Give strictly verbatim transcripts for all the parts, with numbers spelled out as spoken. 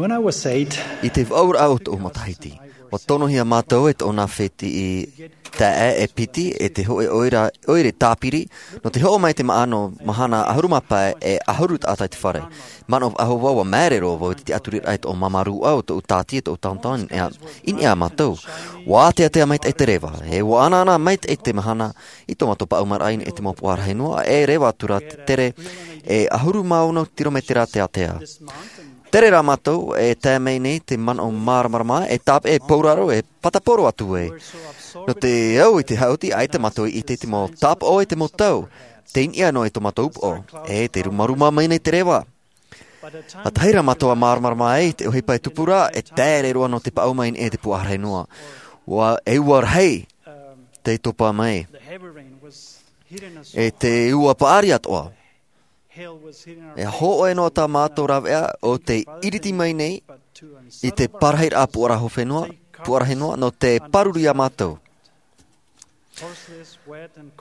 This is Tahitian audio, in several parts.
When I was eight, i te vaʻuraʻa o tōʻu matahiti, ua tonohia mātou e tōna fētiʻi taeaʻe e piti e te hoʻe ʻoire, ʻoire tāpiri, nō te hoʻo mai te maʻa nō mahana ʻahuru mā pae e ʻahuru taʻata i te fare. Manaʻo faʻahou vau, ua māere roa vau i te tiʻaturiraʻa i tōʻu māmā rūʻau, tōʻu tāti, e tōʻu taontaon, i niʻa, i niʻa iā mātou. Ua āteatea maitaʻi te reva, e ua anaana maitaʻi te mahana i tō mātou paʻumaraʻa i niʻa i te mau puaʻa rahi noa, e reva atu ra te tere e ʻahuru mā ono tirometera te ātea. Tere rā mātou, e tae mai nei te manaʻo māramarama, e tāpeʻa e pōraro, e patapōro atu ē. Nō te au i te haʻuti, ʻaita mātou i ʻite i te mau tāpaʻo e te mau tau, tei niʻa noa i tō mātou upoʻo, e te rumaruma mai nei te reva. ʻA tahi rā mātou ʻa māramarama ai, te ʻohipa e tupu ra, e tere roa nō te paʻuma i niʻa i te puaʻa rahi noa. Ua, e ua rahi, tei topa mai. E te ua paʻari atoʻa. E hōʻē noa tā mātou rāveʻa ʻo tei iriti mai nei i te parahiraʻa puaʻa horo fenua, puaʻa rahi noa, nō te pāruru iā mātou.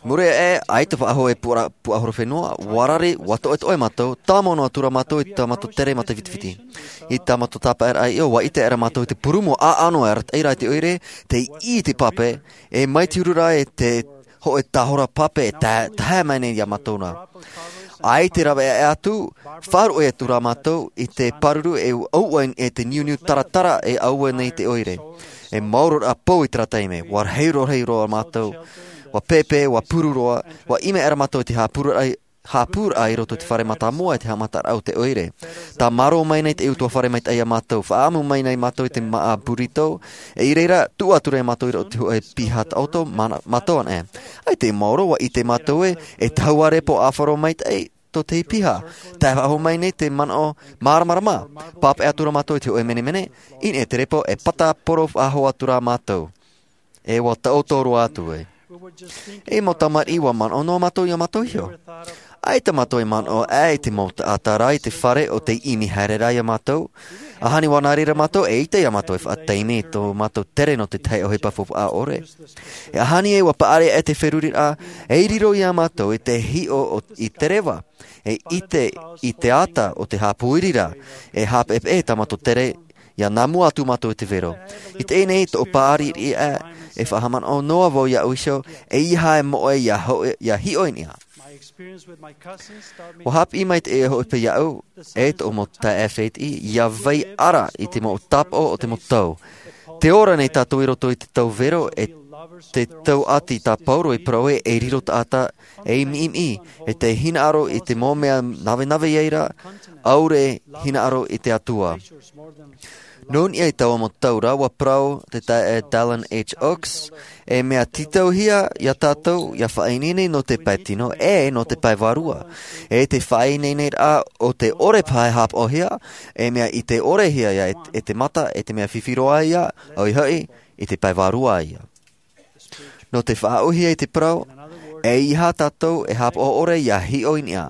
Muri aʻe, ʻaita faʻahou e puaʻa, puaʻa horo fenua, ua rari, ua toʻetoʻe mātou, tāmau noa atu ra mātou i tā mātou tere mataʻifitifiti. I tā mātou tāpaeraʻa i ʻō, ua ʻite aʻera mātou i te purūmu ʻāʻano e arataʻi ra i te ʻoire, tei ʻī i te pape, e mai te huru ra e te hōʻē tahora pape e ta-, tahaʻa mai nei iā mātou ra. ʻAita e rāveʻa atu, faʻaruʻe atu ra mātou i te pāruru e ʻauʻa e te niuniu taratara e ʻaua nei te ʻoire. E maoro rā pou i terā taime, ua rahi roa, rahi roa mātou, ua pēpē, ua puru roa, ua ʻimi aʻera mātou i te haʻapūraʻa, haʻapūraʻa i roto i te fare mātāmua i te haʻamataraʻa o te ʻoire. Tāmarō mai nei te ʻutuāfare maitaʻi iā mātou, faʻaʻamu mai nei mātou i te māʻa burrito, e i reira, tuʻu atu ra mātou i roto i te hōʻē piha taʻoto, mana-, mātou anaʻe. ʻAita e maoro, ua ʻite mātou ē, e tahuʻa repo ʻāfaro maitaʻi tō te piha. Tae faʻahou mai nei te manaʻo māramarama, pāpaʻi atu ra mātou i te hōʻē menemene, i niʻa i te repo e patapōro faʻahou atu ra mātou. E ua taʻoto roa atu ē. E mau tamariʻi, ua manaʻo noa mātou iā mātou iho. ʻAita mātou e manaʻo aʻe i te mau taʻata ra i te fare ʻo tei ʻimi haere ra iā mātou. ʻAhani ua nā reira mātou e ʻite iā mātou e faʻataime i tō mātou tere nō te tahi ʻohipa faufaʻa ʻore. E ʻahani ē ua paʻari aʻe te feruriraʻa, e riro iā mātou i te hiʻo o, i te reva. E ʻite i te ata o te haʻapūiri ra, e haʻapeʻepeʻe tā mātou tere, ʻia nā mua atu mātou i te vero. I teie nei tōʻu paʻari riʻi aʻe, e faʻahaʻamanaʻo noa vau iāʻu iho, ʻeiaha e moʻe ʻia ho-, ʻia hiʻo i niʻa. Ua haʻapiʻi mai te ʻohipa iāʻu, e tōʻu mau taeaʻe fētiʻi, ʻia vai ara i te mau tāpaʻo o te mau tau. Tē ora nei tātou i roto i te tau vero, e te tau ʻati tā Pauro i parau ē, e riro taʻata ei miʻimiʻi, e te hinaʻaro i te mau mea navenave i reira, ʻaore hinaʻaro i te Atua. Nō niʻa i taua mau tau ra, ua parau te taeaʻe Dallin H. Oaks, e mea tītauhia iā tātou ʻia faʻaineine nō te pae tino, e nō te pae vārua. E te faʻaineineraʻa o te ʻore paʻi e haʻapaʻohia, e mea ʻite ʻore hia ia e, e te mata, e te mea fifi roa ia, ʻoia hoʻi, i te pae vārua ia. Nō te faʻaʻōhie i te parau, ʻeiaha tātou e haʻapaʻo ʻore ʻia hiʻo i niʻa.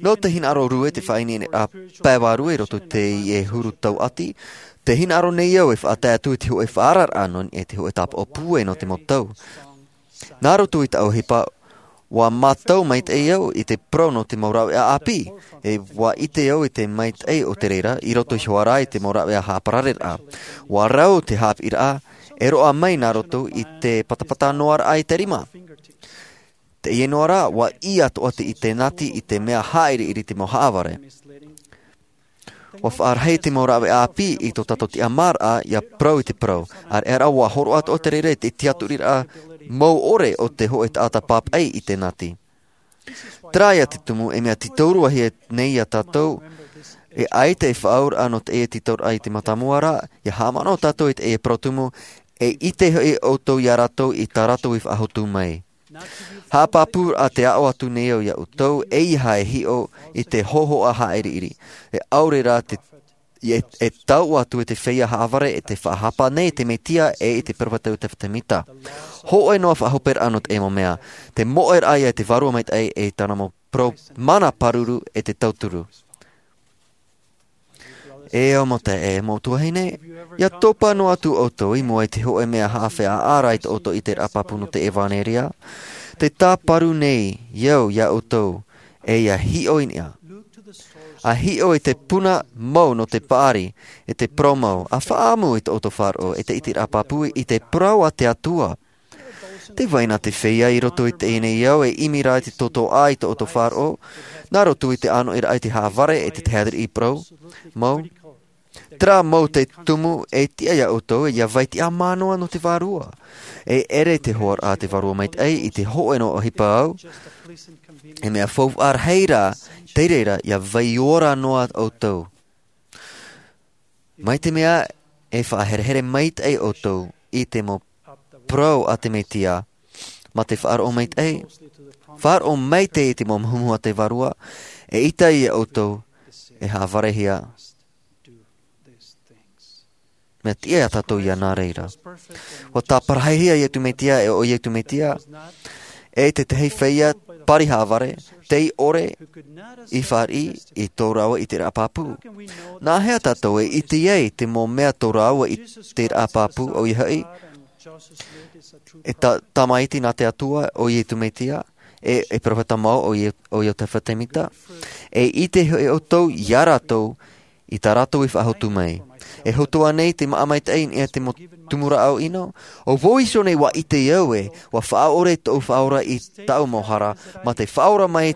Nō te hinaʻaro rue te faʻaineine a pae vārua i roto i teie huru tau ʻati, te hinaʻaro nei au e faʻatae atu i te hōʻē faʻaararaʻa nō niʻa i te hōʻē tāpaʻo pūai nō te mau tau. Nā roto i tā ʻohipa, ua mātau maitaʻi au i te parau nō te mau rāveʻa ʻāpī, e ua ʻite au i te maitaʻi o te reira, i roto iho ā rā i te mau rāveʻa haʻaparareraʻa. Ua rau te haʻapiʻiraʻa, e roaʻa mai nā roto i te patapata noa raʻa i te rima. Teie noa rā, ua ʻī atoʻa te, i te nati, i te mea haʻairiiri te mau haʻavare. Ua faʻarahi te mau rāveʻa ʻāpī i tō tātou tiʻamāraʻa ʻia parau i te parau. ʻĀreʻa rā, ua hōroʻa atoʻa te reira i te tiʻaturiraʻa mau ʻore o te hōʻē taʻata pāpaʻi i te nati. Terā ia te tumu e mea tītaurua hia nei iā tātou, e ʻaita e faʻaauraʻa nō teie tītauraʻa i te mātāmua ra, ʻia haʻamanaʻo tātou i teie parau tumu, e ʻite hoʻi ʻoutou iā rātou i tā rātou i faʻahotu mai. Haʻapāpūraʻa te aʻo atu nei au iā ʻoutou, ʻeiaha e hiʻo i te hōhoʻa haʻairiiri. E ʻaore rā te, e, e tau atu e te feiā haʻavare e te faʻahapa nei te Mesia e i te peropheta o Iosefa Sāmita. Hōʻē noa faʻahoperaʻa nō teie mau mea. Te moʻeraʻa ia i te Vārua Maitaʻi e tāna mau parau mana pāruru e te tauturu. E au mau taeaʻe, mau tuahine, ʻia topa noa atu ʻoutou i mua i te hōʻē mea haʻawheʻa ra i tō ʻoutou ʻiteraʻa pāpū nō te ʻevanelia, tē tāparu nei au iā ʻoutou, e ʻia hiʻo i niʻa. A hiʻo i te puna mau nō te paʻari, e te parau mau, a faʻaʻamu i tō ʻoutou faʻaroʻo, e te ʻiteraʻa pāpū i te parau a te Atua. Tē vai na te feiā i roto i teie nei ao e ʻimi ra i te tōtōʻa i tō ʻoutou faʻaroʻo, nā roto i te ʻānoʻiraʻa i te haʻavare, e te tahi atu i parau mau. Terā mau te tumu e tiʻa ia ʻoutou, e ia vai tiʻamā noa nō te Vārua. E ʻere te hoʻoraʻa a te Vārua Maitaʻi i te hōʻē noa ʻohipa au, e mea faufaʻa rahi rā, tei reira, ia vai ora noa ʻoutou. Mai te mea e faʻaherehere maitaʻi ʻoutou i te mau parau a te Mesia, mā te faʻaroʻo maitaʻi, faʻaroʻo maitaʻi i te mau muhumuhu a te Vārua, e ʻita ia ʻoutou, e haʻavarehia. Mea tiʻa ia tātou ia nā reira. ʻUa tāparahihia Iesu Mesia, e ʻo Iesu Mesia, e te tahi feiā pārihaʻavare, tei ʻore i fāriʻi i tō rāua ʻiteraʻa pāpū. Nā hea tātou e ʻite ai te mau mea tō rāua ʻiteraʻa pāpū, ʻoia hoʻi, e tā-, tamaiti nā te Atua, ʻo Iesu Mesia, e, e perofeta mau, ʻo Ie-, ʻo Iosefa Semita. E ʻite hoʻi ʻoutou, ia rātou, i tā rātou i faʻahotu mai. E hotu ānei te māʻa maitaʻi i niʻa i te mau tumu rāʻau ʻino? ʻO vau iho nei ʻua ʻite au ē, ʻua faʻaʻore tōʻu Faʻaora i tāʻu mau hara, mā te faʻaora mai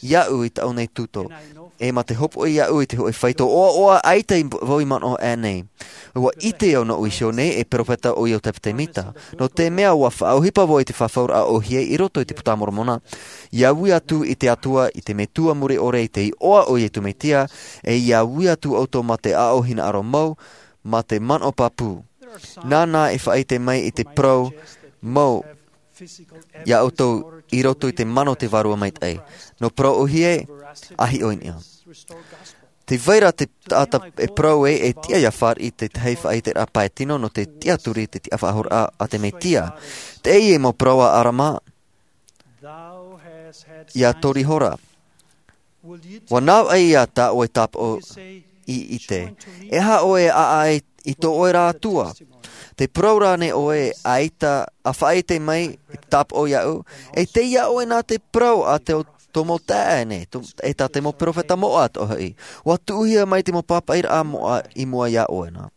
iāʻu i tāʻu nei tūtō. E mā te hopoʻi iāʻu i te hōʻē faito ʻoaʻoa ʻaita i vau i manaʻo aʻe nei. ʻUa ʻite au nōʻu iho nei e perofeta ʻo Iosefa Semita. Nō te mea ʻua faʻaʻohipa vau i te fafauraʻa ʻōhie i roto i te Puta a Moromona. ʻIa ui atu i te Atua, i te Metua mure ʻore, i te iʻoa ʻo Iesu Mesia, e ʻia ui atu ʻoutou mā te aʻo hinaʻaro mau, mā te manaʻo pāpū. Nāna e faʻaʻite mai i te parau mau ia ʻoutou i roto i te mana o te Vārua Maitaʻi. Nō parau ʻōhie, a hiʻo i niʻa. Tē vai ra te taʻata e parau ē, e tiʻa ia fāriʻi i te tahi faʻaʻiteraʻa pae tino nō te tiʻaturi i te tiʻafaʻahouraʻa a te Mesia. Teie mau parau a ʻArama, ʻia tori hora. ʻUa navaʻi ïa tā ʻoe tāpaʻo i ʻite. E aha ʻoe e ʻāʻai i tō ʻoe ra Atua? Tē parau ra ānei ʻoe, ʻaita, ʻa faʻaʻite mai i te tāpaʻo iāʻu? E tei iā ʻoe na te parau a te, tō mau taeaʻe nei, tō, e tā te mau perofeta moʻa atoʻa hoʻi. ʻUa tuʻuhia mai te mau pāpaʻiraʻa moʻa i mua iā ʻoe na.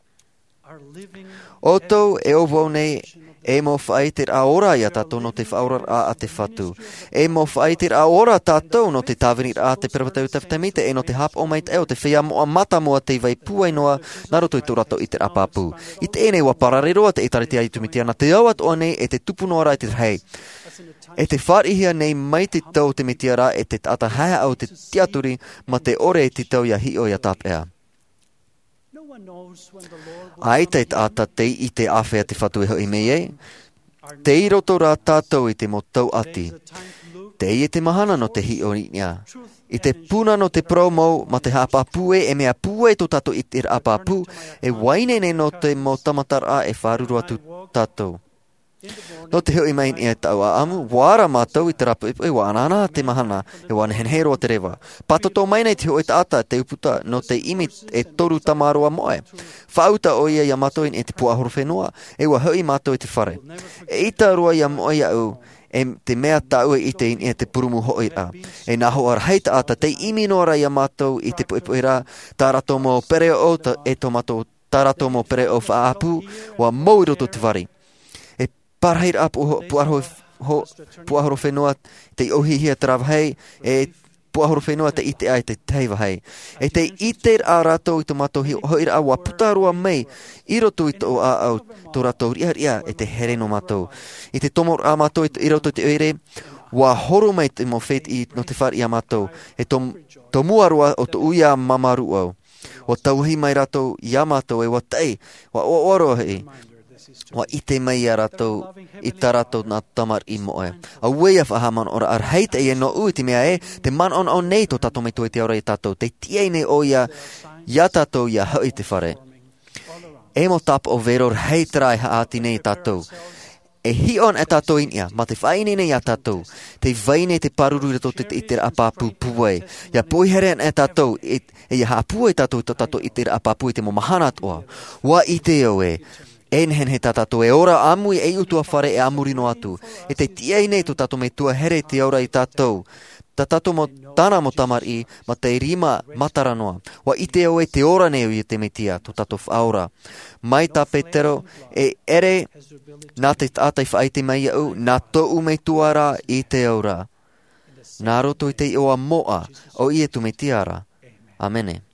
ʻOutou e ʻo vau nei, e mau faʻaʻiteraʻa ora ia tātou nō te faʻaoraraʻa a te Fatu. E mau faʻaʻiteraʻa ora tātou nō te tāviniraʻa a te perofeta Iosefa Semita, e nō te haʻapaʻo maitaʻi o te feiā moʻa mātāmua tei vai pūai noa nā roto i tō rātou ʻiteraʻa pāpū. I teie nei ʻua parare roa te ʻĒtārētia a Iesu Mesia nā te ao atoʻa nei e te tupu noa ra i te rahi. E tē fāriʻihia nei mai te tau o te Mesia ra e te taʻata haʻehaʻa o te tiʻaturi mā te ʻore i te tau ʻia hiʻo ʻia tāpeʻa. ʻAita e taʻata tei ʻite āfea te Fatu e hoʻi mai ai. Tei roto rā tātou i te mau tauʻati. Teie te mahana nō te hiʻo i niʻa. I te puna nō te parau mau mā te haʻapāpū ē, e mea pūai tō tātou ʻiteraʻa pāpū, e vaiiho nei nō te mau tāmataraʻa e fāruru atu tātou. Nō te hoʻi mai i niʻa i tāʻu ʻāʻamu, ʻua ara mātou i terā poʻipoʻi, ʻua anaana te mahana, e ʻua nehenehe roa te reva. Pātoto mai nei te hōʻē taʻata, te ʻūputa, nō te ʻimi e toru tamaroa moʻe. Faʻauta ʻoia iā mātou i niʻa i te puaʻahorofenua, e ʻua hoʻi mātou i te fare. ʻEita roa ʻia moʻe iāʻu, e te mea tāʻu e ʻite i niʻa i te purūmu hoʻiraʻa. E nā hoʻi rahi taʻata, tei ʻimi noa ra iā mātou i te poʻipoʻi ra, tā rātou mau pereoʻo, tā, e tō mātou, tā rātou mau pereoʻo faʻaʻapu, ʻua mau i roto i te vari. E parahiraʻa puaʻahoro-, ho-, puaʻahorofenua tei ʻōhihia terā vāhi, e puaʻahorofenua tei ʻite aʻe i te tahi vāhi. E tei ʻite rā rātou i tō mātou hi-, hoʻiraʻa ʻua puta roa mai i roto i tō ʻāʻau, tō rātou riʻariʻa e te here nō mātou. I te tomoraʻa mātou i, i roto i te ʻoire, ʻua horo mai te mau fētiʻi nō te fāriʻi iā mātou. E tō, tō mua roa o tōʻu ia māmā rūʻau. ʻUa tauahi mai rātou iā mātou e ʻua taʻi, ʻua ʻoaʻoa roa hoʻi. ʻUa ʻite mai iā rātou i tā rātou nā tamariʻi moʻe. Auē ia faʻahaʻamanaʻoraʻa rahi teie nōʻu i te mea ē, tē manaʻonaʻo nei tō tātou Metua i te ao ra iā tātou, tei tiʻa nei ʻoia iā tātou ʻia hoʻi i te fare. E mau tāpaʻo vero rahi terā e haʻati nei iā tātou. E hiʻo ana tātou i niʻa, mā te faʻaineine iā tātou, tei vai nei te pāruru i roto i te, i te ʻiteraʻa pāpū pūai. ʻIa poihere ana tātou, e, e ʻia haʻapūai tātou i tō tātou ʻiteraʻa pāpū i te mau mahana atoʻa. ʻUa ʻite au ē, E nehenehe tā tātou e ora ʻāmui ei ʻutuāfare e a muri noa atu. E te tiʻa nei tō tātou Metua here i te ora ia tātou, tā tātou mau tāna mau tamariʻi, mā te rima matara noa. ʻUa ʻite au ē te ora nei ʻo ia te Mesia, tō tātou Faʻaora. Mai tā Petero, e ʻere nā te taʻata i faʻaʻite mai iāʻu, nā tōʻu Metua rā i te ao ra. Nā roto i te iʻoa moʻa o Iesu Mesia ra. ʻĀmene.